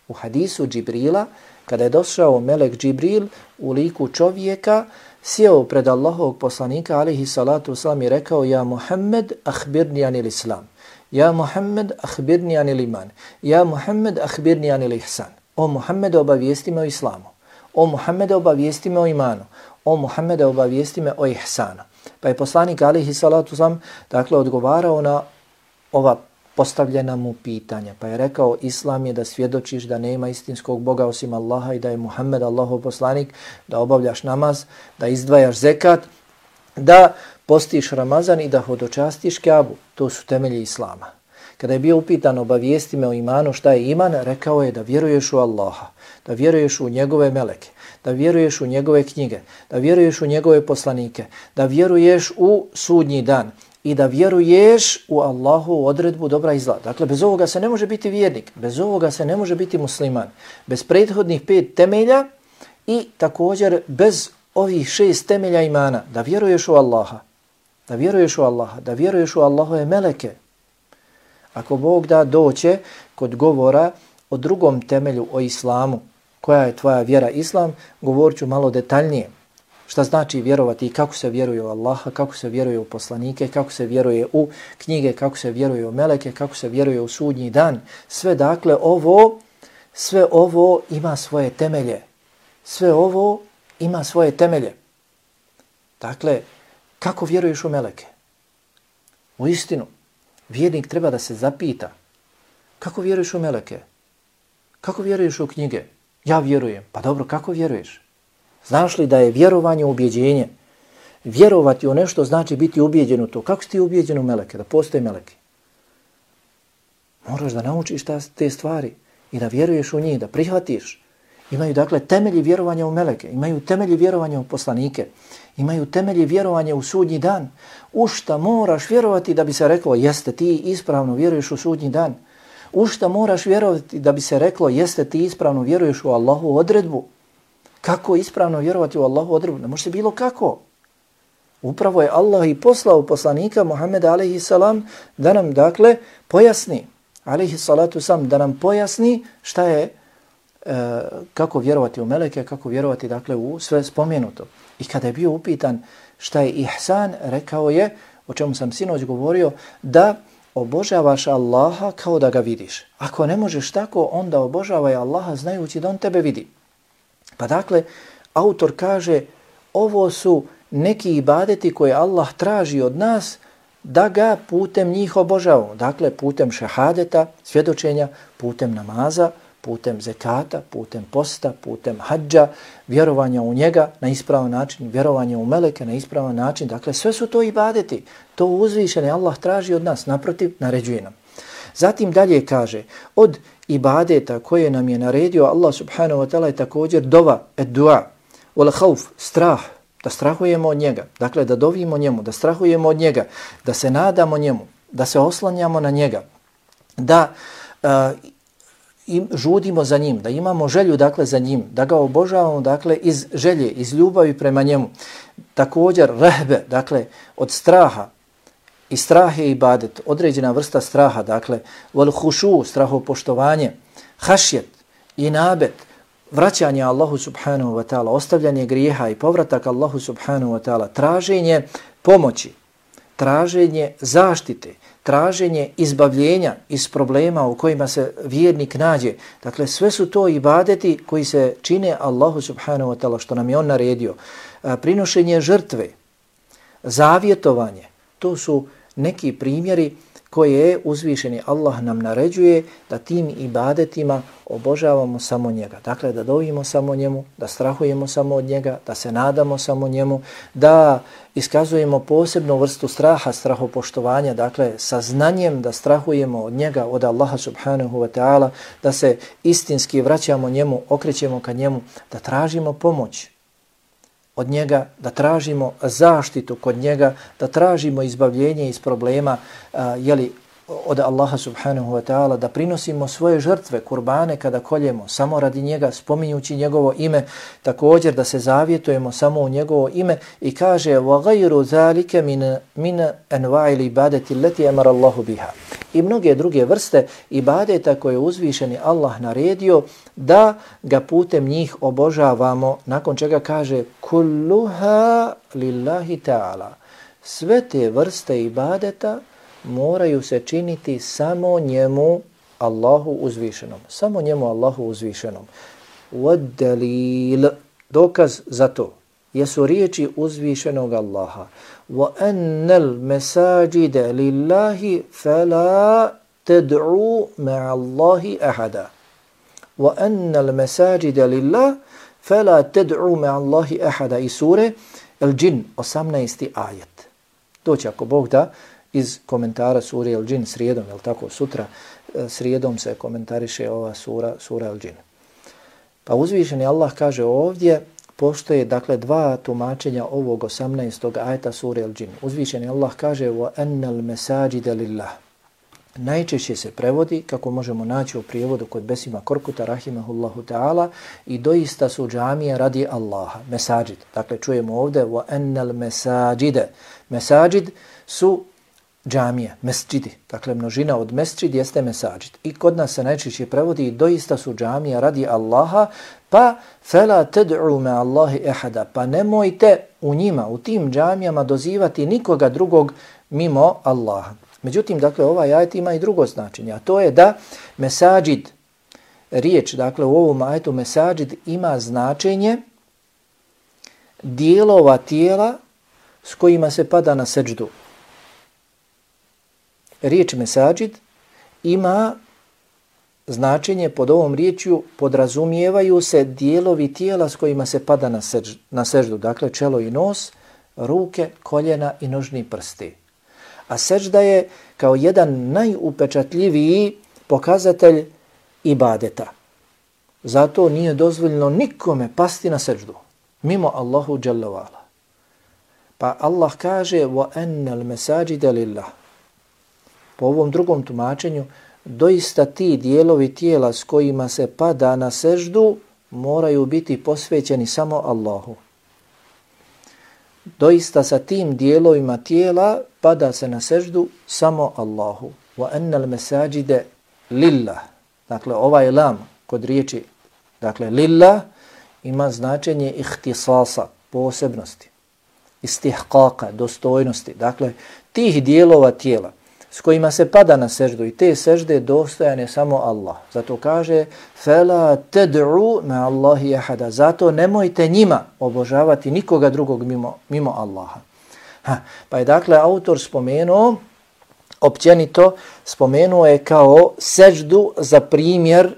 Speaker 1: U hadisu Džibrila, kada je došao melek Džibril u liku čovjeka, sjeo pred Allahovog poslanika, alejhi salatu vesselam, i rekao: Ja Muhammed, ahbirni anil islam. Ja Muhammed, ahbirni anil iman. Ja Muhammed, ahbirni anil ihsan. O Muhammed, obavijesti me o islamu. O Muhammed, obavijesti me o imanu. O Muhammed, obavijesti me o ihsanu. Pa je poslanik, alejhi salatu vesselam, dakle odgovarao na ova postavljena mu pitanja. Pa je rekao: Islam je da svjedočiš da nema istinskog Boga osim Allaha i da je Muhammed Allahov poslanik, da obavljaš namaz, da izdvajaš zekat, da postiš Ramazan i da hodočastiš Kjabu. To su temelji Islama. Kada je bio upitan: obavijesti me o imanu, šta je iman, rekao je da vjeruješ u Allaha, da vjeruješ u njegove meleke, da vjeruješ u njegove knjige, da vjeruješ u njegove poslanike, da vjeruješ u sudnji dan i da vjeruješ u Allahu odredbu dobra i zla. Dakle, bez ovoga se ne može biti vjernik, bez ovoga se ne može biti musliman. Bez prethodnih 5 temelja i također bez ovih 6 temelja imana, da vjeruješ u Allaha, da vjeruješ u Allaha, da vjeruješ u Allahove meleke. Ako Bog da doće kod govora o drugom temelju, o islamu, koja je tvoja vjera islam, govorit ću malo detaljnije. Šta znači vjerovati i kako se vjeruje u Allaha, kako se vjeruje u poslanike, kako se vjeruje u knjige, kako se vjeruje u meleke, kako se vjeruje u sudnji dan. Sve dakle sve ovo ima svoje temelje. Sve ovo ima svoje temelje. Dakle, kako vjeruješ u meleke? U istinu, vjernik treba da se zapita: kako vjeruješ u meleke? Kako vjeruješ u knjige? Ja vjerujem. Pa dobro, kako vjeruješ? Znaš li da je vjerovanje ubjeđenje? Vjerovati u nešto znači biti ubijeđen u to. Kako si ti ubijeđen u meleke? Da postoje meleke? Moraš da naučiš te stvari i da vjeruješ u njih, da prihvatiš. Imaju dakle temelji vjerovanja u meleke, imaju temelji vjerovanja u poslanike, imaju temelji vjerovanja u sudnji dan. U šta moraš vjerovati da bi se reklo: jeste ti ispravno vjeruješ u sudnji dan? U šta moraš vjerovati da bi se reklo: jeste ti ispravno vjeruješ u Allahu odredbu? Kako ispravno vjerovati u Allahu odredbu? Ne može se bilo kako. Upravo je Allah i poslao poslanika Muhammeda alejhi salam da nam dakle pojasni, alejhi salatu sam, da nam pojasni šta je, kako vjerovati u meleke, kako vjerovati dakle u sve spomenuto. I kada je bio upitan šta je ihsan, rekao je, o čemu sam sinoć govorio, da obožavaš Allaha kao da ga vidiš. Ako ne možeš tako, onda obožavaj Allaha znajući da on tebe vidi. Pa dakle, autor kaže: ovo su neki ibadeti koje Allah traži od nas da ga putem njih obožavamo. Dakle, putem šehadeta, svjedočenja, putem namaza, putem zekata, putem posta, putem hadža, vjerovanja u njega na ispravan način, vjerovanja u meleke na ispravan način. Dakle, sve su to ibadeti. To uzvišeni Allah traži od nas, naprotiv, naređuje nam. Zatim dalje kaže: od ibadeta koje nam je naredio Allah subhanahu wa ta'ala je također dova, dua, wal khauf, strah, da strahujemo od njega. Dakle, da dovimo njemu, da strahujemo od njega, da se nadamo njemu, da se oslanjamo na njega, da žudimo za njim, da imamo želju dakle za njim, da ga obožavamo dakle iz želje, iz ljubavi prema njemu. Također rehbe, dakle od straha, i strah je ibadet, određena vrsta straha, dakle wal khushu, strahopoštovanje, hašjet, inabet, vraćanje Allahu subhanahu wa ta'ala, ostavljanje grijeha i povratak Allahu subhanahu wa ta'ala, traženje pomoći, traženje zaštite, traženje izbavljenja iz problema u kojima se vjernik nađe. Dakle, sve su to ibadeti koji se čine Allahu subhanahu wa ta'ala, što nam je on naredio. Prinošenje žrtve, zavjetovanje, to su neki primjeri koje uzvišeni Allah nam naređuje da tim ibadetima obožavamo samo njega. Dakle, da dovimo samo njemu, da strahujemo samo od njega, da se nadamo samo njemu, da iskazujemo posebnu vrstu straha, strahopoštovanja, dakle, sa znanjem da strahujemo od njega, od Allaha subhanahu wa ta'ala, da se istinski vraćamo njemu, okrećemo ka njemu, da tražimo pomoć od njega, da tražimo zaštitu kod njega, da tražimo izbavljenje iz problema od Allaha subhanahu wa ta'ala, da prinosimo svoje žrtve, kurbane kada koljemo, samo radi njega, spominjući njegovo ime, također da se zavjetujemo samo u njegovo ime i kaže وَغَيْرُ ذَلِكَ مِنَ أَنْوَعِ الْإِبَادَةِ الَّتِي أَمَرَ اللَّهُ بِهَا. I mnoge druge vrste ibadeta koje je uzvišeni Allah naredio da ga putem njih obožavamo, nakon čega kaže kulluha lillahi ta'ala. Sve te vrste ibadeta moraju se činiti samo njemu Allahu uzvišenom. Samo njemu Allahu uzvišenom. وَالدَّلِيلِ dokaz za to jesu riječi uzvišenog Allaha. وَأَنَّ الْمَسَاجِدَ لِلَّهِ فَلَا تَدْعُوا مَعَ اللَّهِ أَحَدًا. وَأَنَّ الْمَسَاجِدَ لِلَّهِ فَلَا تَدْعُوا مَعَ اللَّهِ أَحَدًا. I sure El-Džin, 18. ajet. Doći ako Bog da iz komentara sure El-Džin srijedom, jel tako, sutra srijedom se komentariše ova sura El-Džin. Pa uzvišeni Allah kaže ovdje, postoje dakle dva tumačenja ovog 18. ajeta sure El-Džin. Uzvišeni Allah kaže وَأَنَّ الْمَسَاجِدَ لِلَّهِ. Najčešće se prevodi, kako možemo naći u prijevodu kod Besima Korkuta, rahimahullahu ta'ala, i doista su džamije radi Allaha, mesađid. Dakle, čujemo ovdje وَأَنَّ الْمَسَاجِدَ. Mesađid su džamije, mesđidi. Dakle, množina od mesđid jeste mesađid. I kod nas se najčešće prevodi doista su džamije radi Allaha, pa فَلَا تَدْعُوا مَعَ اللَّهِ أَحَدًا. Pa nemojte u njima, u tim džamijama dozivati nikoga drugog mimo Allaha. Međutim, dakle, ovaj ajet ima i drugo značenje, a to je da mesađid, riječ, dakle, u ovom ajetu mesađid ima značenje dijelova tijela s kojima se pada na seđdu. Riječ mesađid ima značenje, pod ovom riječju podrazumijevaju se dijelovi tijela s kojima se pada na seđdu, dakle čelo i nos, ruke, koljena i nožni prsti. A seđda je kao jedan najupečatljiviji pokazatelj ibadeta. Zato nije dozvoljeno nikome pasti na seđdu, mimo Allahu dželle ve ala. Pa Allah kaže وَأَنَّ الْمَسَاجِدَ لِلَّهِ. Po ovom drugom tumačenju, doista ti dijelovi tijela s kojima se pada na seždu moraju biti posvećeni samo Allahu. Doista sa tim dijelovima tijela pada se na seždu samo Allahu. وَأَنَّ الْمَسَاجِدَ لِلَّهِ. Dakle, ovaj lam kod riječi, dakle, lillah ima značenje ihtisasa, posebnosti, istihqaqa, dostojnosti. Dakle, tih dijelova tijela s kojima se pada na seždu i te sežde dostojan je samo Allah. Zato kaže فَلَا تَدْعُوا مَعَ اللَّهِ أَحَدًا. Zato nemojte njima obožavati nikoga drugog mimo Allaha. Pa je dakle autor spomenuo, općenito spomenuo je kao seždu za primjer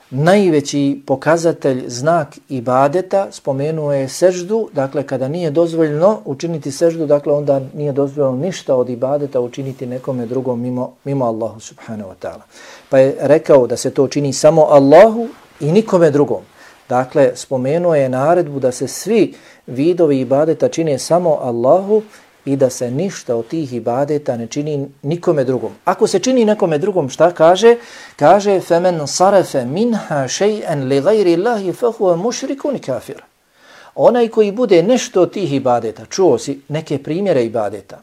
Speaker 1: najveći pokazatelj, znak ibadeta, spomenuo je seždu, dakle kada nije dozvoljeno učiniti seždu, dakle onda nije dozvoljeno ništa od ibadeta učiniti nekome drugom mimo Allahu subhanahu wa ta'ala. Pa je rekao da se to čini samo Allahu i nikome drugom. Dakle, spomenuo je naredbu da se svi vidovi ibadeta čine samo Allahu i da se ništa od tih ibadeta ne čini nikome drugom. Ako se čini nekome drugom, šta kaže? Kaže فَمَنْ صَرَفَ مِنْهَا شَيْئًا لِغَيْرِ اللَّهِ فَهُوَ مُشْرِكٌ كَافِرٌ. Onaj koji bude nešto od tih ibadeta, čuo si neke primjere ibadeta,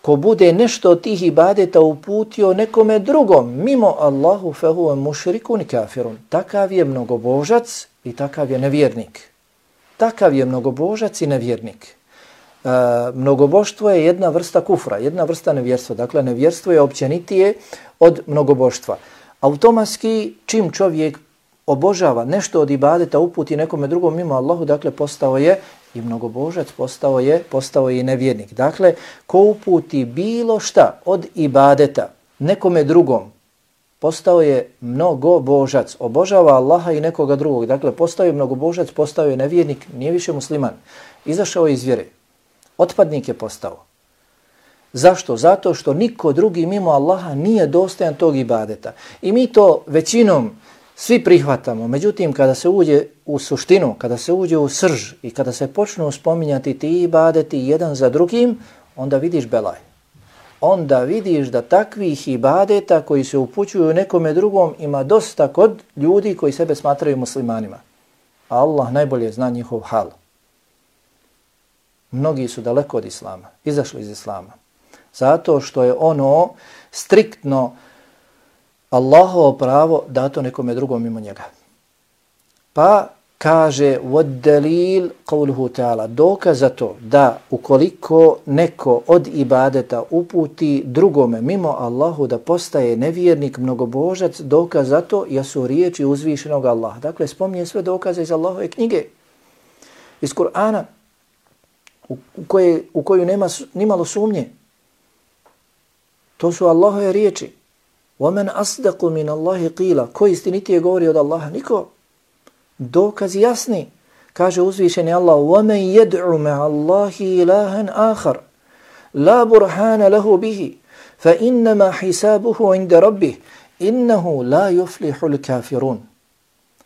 Speaker 1: ko bude nešto od tih ibadeta uputio nekome drugom, mimo Allahu فَهُوَ مُشْرِكٌ كَافِرٌ. Takav je mnogobožac i takav je nevjernik. Takav je mnogobožac i nevjernik. Mnogoboštvo je jedna vrsta kufra, jedna vrsta nevjerstva. Dakle, nevjerstvo je općenitije od mnogoboštva. Automatski, čim čovjek obožava nešto od ibadeta, uputi nekome drugom mimo Allahu, dakle, postao je i mnogobožac, postao je i nevjernik. Dakle, ko uputi bilo šta od ibadeta nekome drugom, postao je mnogobožac, obožava Allaha i nekoga drugog. Dakle, postao je mnogobožac, postao je nevjernik, nije više musliman. Izašao je iz vjere. Otpadnik je postao. Zašto? Zato što niko drugi mimo Allaha nije dostojan tog ibadeta. I mi to većinom svi prihvatamo. Međutim, kada se uđe u suštinu, kada se uđe u srž i kada se počnu spominjati ti ibadeti jedan za drugim, onda vidiš belaj. onda vidiš da takvih ibadeta koji se upućuju nekome drugom ima dosta kod ljudi koji sebe smatraju muslimanima. A Allah najbolje zna njihov hal. Mnogi su daleko od islama, izašli iz islama. Zato što je ono striktno Allahovo pravo dato nekome drugom mimo njega. Pa kaže وَدَّلِيل قَوْلُهُ تَعَالَ dokaz za to da ukoliko neko od ibadeta uputi drugome mimo Allahu da postaje nevjernik, mnogobožac, dokaz za to jesu riječi uzvišenog Allaha. Dakle, spominje sve dokaze iz Allahove knjige, iz Kur'ana, u koju nema nimalo sumnje. To su Allahove riječi. وَمَنْ أَصْدَقُ مِنَ اللَّهِ قِيلَ ko istinitije govori od Allaha? Niko. Dokazi jasni. Kaže uzvišeni Allah وَمَنْ يَدْعُ مَعَ اللَّهِ إِلَهًا آخَرَ لَا بُرْحَانَ لَهُ بِهِ فَإِنَّمَا حِسَابُهُ عِنْدَ رَبِّهِ إِنَّهُ لَا يُفْلِحُ الْكَافِرُونَ.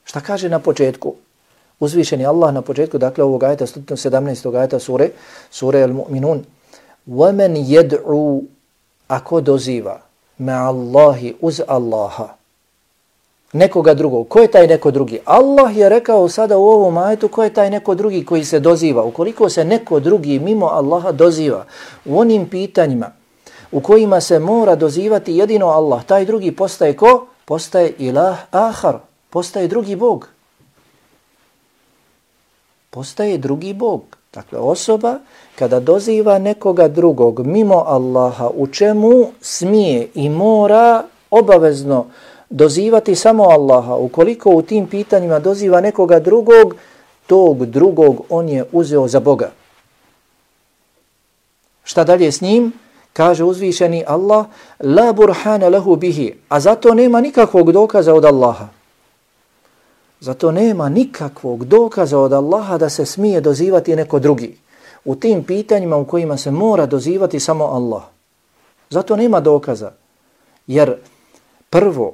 Speaker 1: Šta kaže na početku? Uzvišeni Allah na početku, dakle ovog ajeta 117. ajeta sure Al-Mu'minun. وَمَنْ يَدْعُ ako doziva ma'allahi uz Allaha nekoga drugog. Ko je taj neko drugi? Allah je rekao sada u ovom ajetu ko je taj neko drugi koji se doziva. Ukoliko se neko drugi mimo Allaha doziva u onim pitanjima u kojima se mora dozivati jedino Allah, taj drugi postaje ko? Postaje ilah ahar, postaje drugi Bog. Postaje drugi Bog. Dakle, osoba kada doziva nekoga drugog mimo Allaha, u čemu smije i mora obavezno dozivati samo Allaha, ukoliko u tim pitanjima doziva nekoga drugog, tog drugog on je uzeo za Boga. Šta dalje s njim? Kaže uzvišeni Allah, la burhana lahu bihi, a zato nema nikakvog dokaza od Allaha. Zato nema nikakvog dokaza od Allaha da se smije dozivati neko drugi u tim pitanjima u kojima se mora dozivati samo Allah. Zato nema dokaza, jer prvo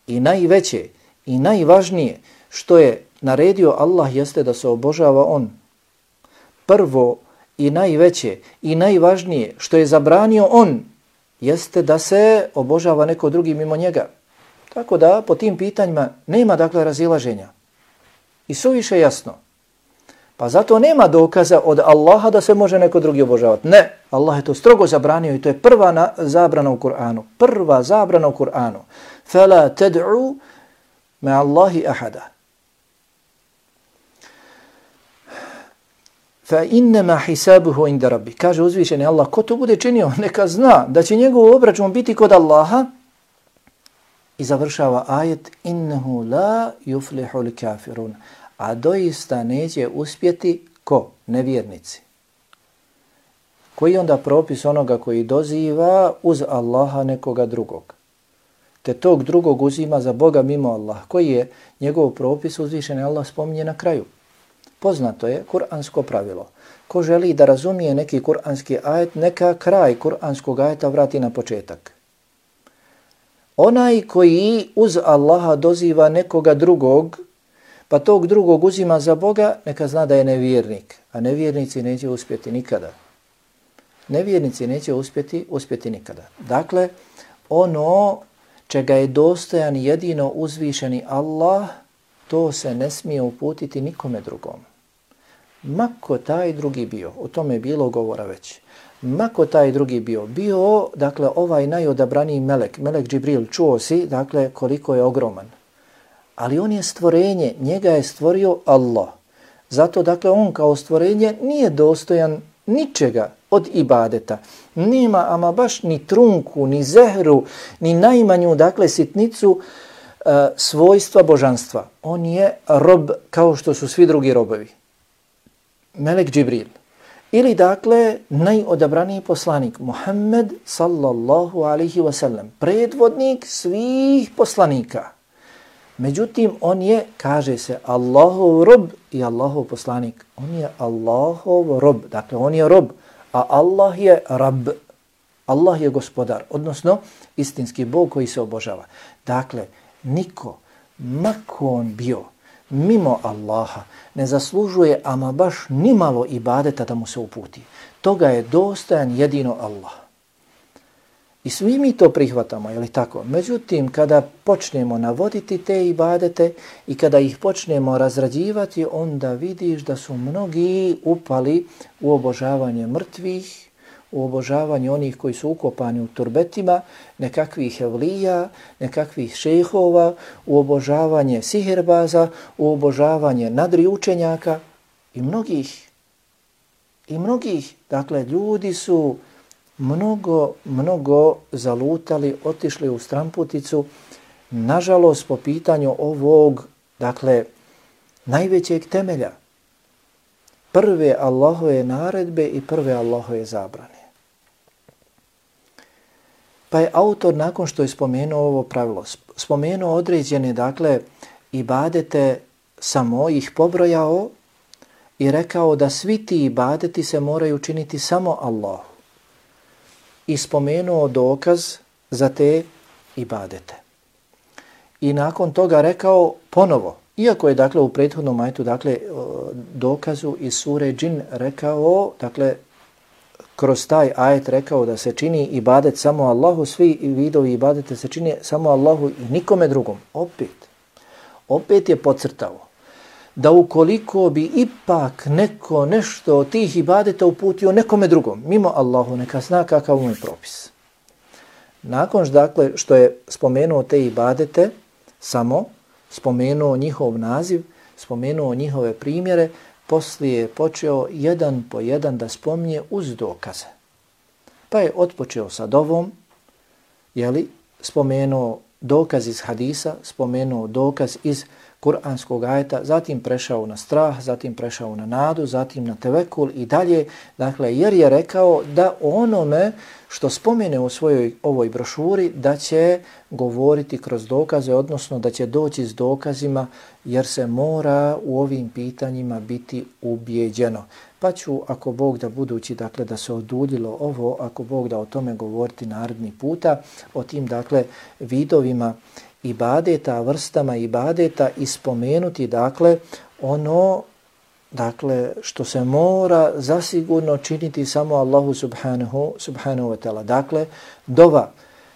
Speaker 1: i najveće i najvažnije što je naredio Allah jeste da se obožava On. Prvo i najveće i najvažnije što je zabranio On jeste da se obožava neko drugi mimo njega. Tako da po tim pitanjima nema dakle razilaženja. I suviše jasno. Pa zato nema dokaza od Allaha da se može neko drugi obožavati. Ne, Allah je to strogo zabranio i to je prva zabrana u Kur'anu. Prva zabrana u Kur'anu. فَلَا تَدْعُوا مَا اللَّهِ أَحَدًا فَإِنَّمَا حِسَابُهُ عِنْدَ رَبِّ. Kaže uzvišeni Allah, ko to bude činio, neka zna da će njegov obračun biti kod Allaha. I završava ajet innehu la yuflihul kafirun. A doista neće uspjeti ko? Nevjernici. Koji je onda propis onoga koji doziva uz Allaha nekoga drugog? Te tog drugog uzima za Boga mimo Allaha. Koji je njegov propis? Uzvišeni Allah spominje na kraju. Poznato je kuransko pravilo. Ko želi da razumije neki kuranski ajet, neka kraj kuranskog ajeta vrati na početak. Onaj koji uz Allaha doziva nekoga drugog, pa tog drugog uzima za Boga, neka zna da je nevjernik. A nevjernici neće uspjeti nikada. Nevjernici neće uspjeti nikada. Dakle, ono čega je dostojan jedino uzvišeni Allah, to se ne smije uputiti nikome drugom. Mako taj drugi bio, o tome je bilo govora već. Mako taj drugi bio, dakle, ovaj najodabraniji melek Džibril, čuo si, dakle, koliko je ogroman. Ali on je stvorenje, njega je stvorio Allah. Zato, dakle, on kao stvorenje nije dostojan ničega od ibadeta. Nema ama baš ni trunku, ni zehru, ni najmanju, dakle, sitnicu svojstva božanstva. On je rob kao što su svi drugi robovi. Melek Džibril. Ili dakle najodabraniji poslanik Muhammed sallallahu alaihi wasallam, predvodnik svih poslanika. Međutim, on je, kaže se, Allahov rob i Allahov poslanik. On je Allahov rob, dakle on je rob, a Allah je rab. Allah je gospodar, odnosno istinski Bog koji se obožava. Dakle, niko, mako on bio, mimo Allaha, ne zaslužuje ama baš nimalo ibadeta da mu se uputi. Toga je dostojan jedino Allah. I svi mi to prihvatamo, je li tako? Međutim, kada počnemo navoditi te ibadete i kada ih počnemo razrađivati, onda vidiš da su mnogi upali u obožavanje mrtvih, u obožavanje onih koji su ukopani u turbetima, nekakvih evlija, nekakvih šejhova, u obožavanje sihirbaza, u obožavanje nadri učenjaka i mnogih. Dakle, ljudi su mnogo zalutali, otišli u stramputicu, nažalost po pitanju ovog, dakle, najvećeg temelja. Prve Allahove naredbe i prve Allahove zabrane. Pa je autor nakon što je spomenuo ovo pravilo, spomenuo određene, dakle, ibadete, samo ih pobrojao i rekao da svi ti ibadeti se moraju činiti samo Allahu. I spomenuo dokaz za te ibadete. I nakon toga rekao ponovo, iako je dakle u prethodnom ajetu, dakle dokazu iz sure Džin rekao, dakle kroz taj ajet rekao da se čini ibadet samo Allahu, svi vidovi ibadete se čini samo Allahu i nikome drugom. Opet je podcrtao da ukoliko bi ipak neko nešto od tih ibadeta uputio nekome drugom, mimo Allahu, neka zna kakav mu je propis. Nakon dakle, što je spomenuo te ibadete, samo spomenuo njihov naziv, spomenuo njihove primjere, poslije je počeo jedan po jedan da spominje uz dokaze. Pa je otpočeo sa dovom, spomenuo dokaz iz hadisa, spomenuo dokaz iz kuranskog ajeta, zatim prešao na strah, zatim prešao na nadu, zatim na tevekul i dalje. Dakle, jer je rekao da onome što spomene u svojoj ovoj brošuri da će govoriti kroz dokaze, odnosno da će doći s dokazima, jer se mora u ovim pitanjima biti ubijeđeno. Pa ću, ako Bog da budući, dakle, da se oduljilo ovo, ako Bog da o tome govoriti naredni puta, o tim, dakle, vidovima ibadeta, vrstama ibadeta i spomenuti, dakle, ono, dakle, što se mora zasigurno činiti samo Allahu subhanahu wa ta'ala. Dakle, dova,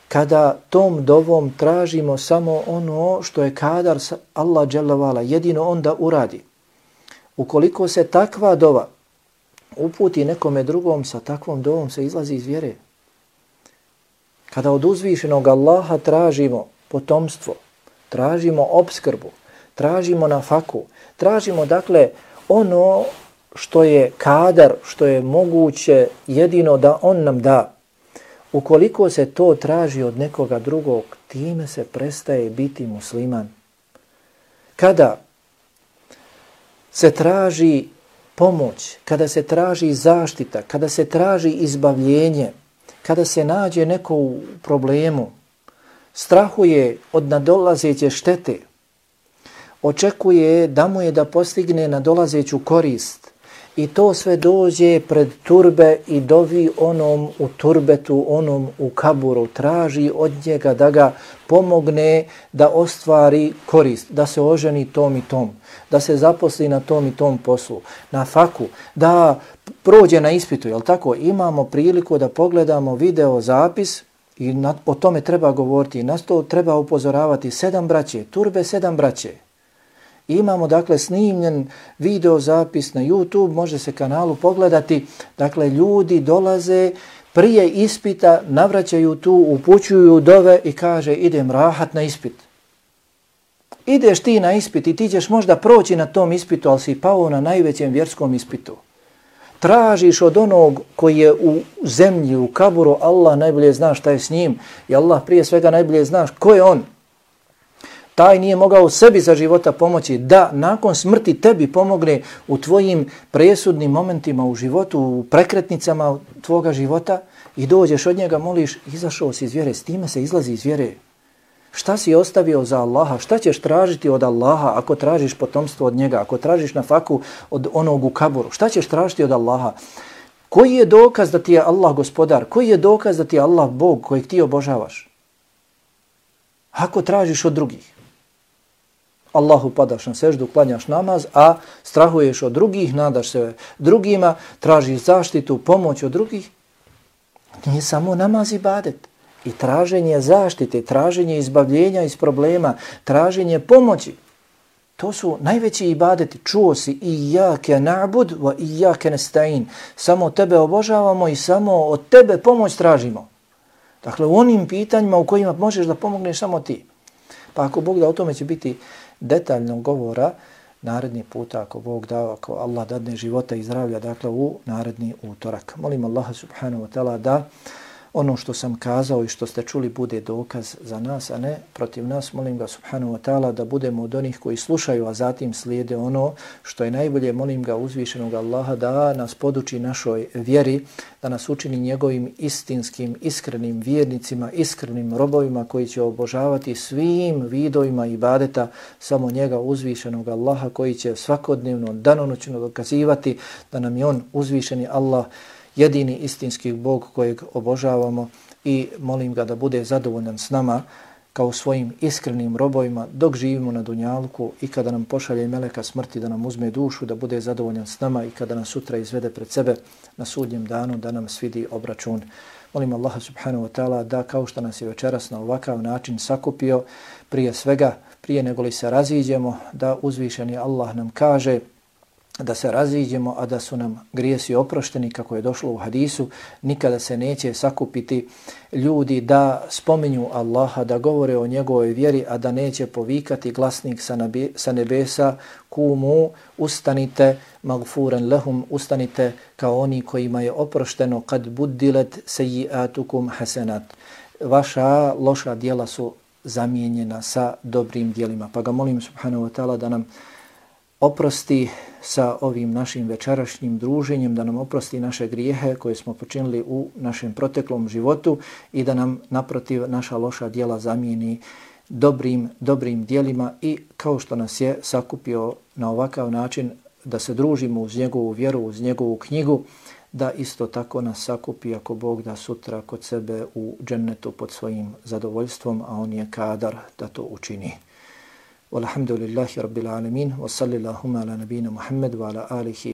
Speaker 1: kada tom dovom tražimo samo ono što je kadar Allah dželle vala, jedino onda uradi. Ukoliko se takva dova uputi nekome drugom, sa takvom dovom se izlazi iz vjere. Kada od uzvišenog Allaha tražimo potomstvo, tražimo opskrbu, tražimo nafaku, tražimo, dakle, ono što je kadar, što je moguće jedino da on nam da. Ukoliko se to traži od nekoga drugog, time se prestaje biti musliman. Kada se traži pomoć, kada se traži zaštita, kada se traži izbavljenje, kada se nađe neko u problemu, strahuje od nadolazeće štete, očekuje da mu je da postigne nadolazeću korist i to sve dođe pred turbe i dovi onom u turbetu, onom u kaburu, traži od njega da ga pomogne da ostvari korist, da se oženi tom i tom, da se zaposli na tom i tom poslu, na faku, da prođe na ispitu, jel tako? Imamo priliku da pogledamo video zapis i o tome treba govoriti, nas to treba upozoravati, 7 braće, turbe 7 braće. Imamo, dakle, snimljen video zapis na YouTube, može se kanalu pogledati, dakle, ljudi dolaze prije ispita, navraćaju tu, upućuju dove i kaže idem rahat na ispit. Ideš ti na ispit i ti ćeš možda proći na tom ispitu, ali si pao na najvećem vjerskom ispitu. Tražiš od onog koji je u zemlji, u kaburu, Allah najbolje zna šta je s njim i Allah prije svega najbolje zna ko je on. Taj nije mogao sebi za života pomoći da nakon smrti tebi pomogne u tvojim presudnim momentima u životu, u prekretnicama tvoga života i dođeš od njega, moliš, izašao si iz vjere, s time se izlazi iz vjere. Šta si ostavio za Allaha? Šta ćeš tražiti od Allaha ako tražiš potomstvo od njega, ako tražiš nafaku od onog u kaburu? Šta ćeš tražiti od Allaha? Koji je dokaz da ti je Allah gospodar? Koji je dokaz da ti je Allah Bog kojeg ti obožavaš? Ako tražiš od drugih. Allahu padaš na seždu, klanjaš namaz, a strahuješ od drugih, nadaš se drugima, tražiš zaštitu, pomoć od drugih. Nije samo namaz ibadet. i traženje zaštite, traženje izbavljenja iz problema, traženje pomoći. To su najveći ibadeti. Čuo si iyyake na'bud wa iyyake nasta'in. Samo tebe obožavamo i samo od tebe pomoć tražimo. Dakle, u onim pitanjima u kojima možeš da pomogneš samo ti. Pa ako Bog da, o tome će biti detaljno govora naredni puta, ako Bog da, ako Allah dadne života i zdravlja, dakle u naredni utorak. Molim Allaha subhanahu wa ta'ala da ono što sam kazao i što ste čuli bude dokaz za nas, a ne protiv nas. Molim ga subhanahu wa ta'ala da budemo od onih koji slušaju, a zatim slijede ono što je najbolje. Molim ga uzvišenog Allaha da nas poduči našoj vjeri, da nas učini njegovim istinskim, iskrenim vjernicima, iskrenim robovima koji će obožavati svim vidovima ibadeta samo njega uzvišenog Allaha, koji će svakodnevno, danonoćno dokazivati da nam je on uzvišeni Allah, jedini istinski Bog kojeg obožavamo, i molim ga da bude zadovoljan s nama kao svojim iskrenim robovima dok živimo na dunjalku i kada nam pošalje meleka smrti da nam uzme dušu, da bude zadovoljan s nama i kada nas sutra izvede pred sebe na sudnjem danu da nam svidi obračun. Molim Allaha subhanahu wa ta'ala da kao što nas je večeras na ovakav način sakupio, prije svega, prije nego li se raziđemo, da uzvišeni Allah nam kaže da se raziđemo, a da su nam grijesi oprošteni, kako je došlo u hadisu. Nikada se neće sakupiti ljudi da spominju Allaha, da govore o njegovoj vjeri, a da neće povikati glasnik sa nebesa: kumu, ustanite, magfuran lahum, ustanite kao oni kojima je oprošteno, kad buddilet sejiatukum hasenat. Vaša loša djela su zamijenjena sa dobrim djelima. Pa ga molim subhanahu wa ta'ala da nam oprosti sa ovim našim večerašnjim druženjem, da nam oprosti naše grijehe koje smo počinili u našem proteklom životu i da nam naprotiv naša loša djela zamijeni dobrim djelima, i kao što nas je sakupio na ovakav način da se družimo uz njegovu vjeru, uz njegovu knjigu, da isto tako nas sakupi, ako Bog da, sutra kod sebe u džennetu pod svojim zadovoljstvom, a on je kadar da to učini. Walhamdulillahi rabbil alamin, wa sallallahu ala nabina Muhammad wa ala alihi